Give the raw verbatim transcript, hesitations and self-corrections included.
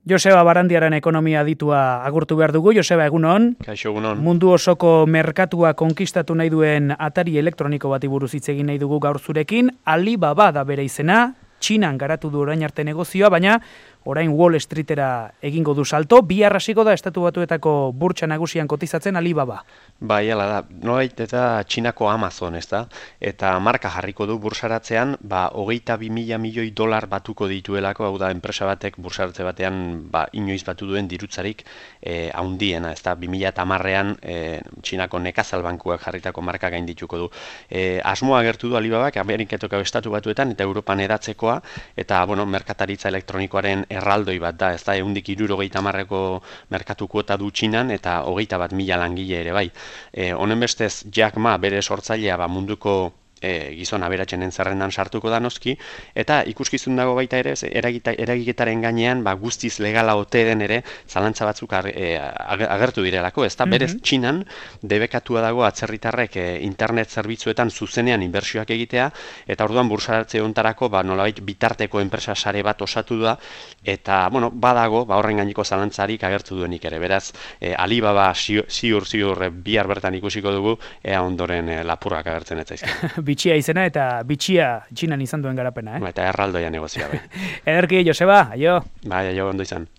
Joseba Barandiaren ekonomia aditua agurtu behar dugu. Joseba, egunon. Kaixo, egunon. Mundu osoko merkatua konkistatu nahi duen atari elektroniko bati buruz hitz egin nahi dugu gaur zurekin. Alibaba da bere izena, Txinan garatu du orain arte negozioa, baina orain Wall Streetera egingo du salto. Bihar hasiko da Estatu Batuetako burtsa nagusian kotizatzen Alibaba. Bai, hala da. Nolait eta Txinako Amazon, ez da? Eta marka jarriko du bursaratzean, ba, hogeita bi mila milioi dolar batuko dituelako, hau da, enpresa batek bursaratze batean ba, inoiz batu duen dirutzarik eh, haundiena, ez da? bi mila hamarrean eh, Txinako nekazal bankuak jarritako marka gaindituko du. Eh, asmoa agertu du Alibabak, Ameriketako Estatu Batuetan eta Europan edatzekoa, eta, bueno, merkataritza elektronikoaren erraldoi bat da, ez da, ehundik hirurogeita hamarreko merkatu kuota du Txinan, eta hogeita bat mila langile ere, bai. E, honen bestez, Jack Ma bere sortzailea ba, munduko e, gizon aberatsenen zerrendan sartuko da noski, eta ikuskizun dago baita ere, eragita, eragiketaren gainean ba, guztiz legala ote den ere, zalantza batzuk ar, e, agertu direlako, ez da, mm -hmm. berez Txinan, debekatua dago atzerritarrek e, internet zerbitzuetan zuzenean inbertsioak egitea, eta orduan bursaratze hontarako ba, nolabait bitarteko enpresa sare bat osatu da, eta, bueno, badago, ba, horren gaineko zalantzarik agertu duenik ere, beraz, e, Alibaba ziur, ziur, ziur e, bihar bertan ikusiko dugu, ea ondoren e, lapurrak agertzen ez zaizkio. Bitxia izena eta bitxia Txinan izan duen garapena, eh? Eta erraldoia negozioa, bai. Ederki, Joseba, aio. Bai, aio, ondo izan.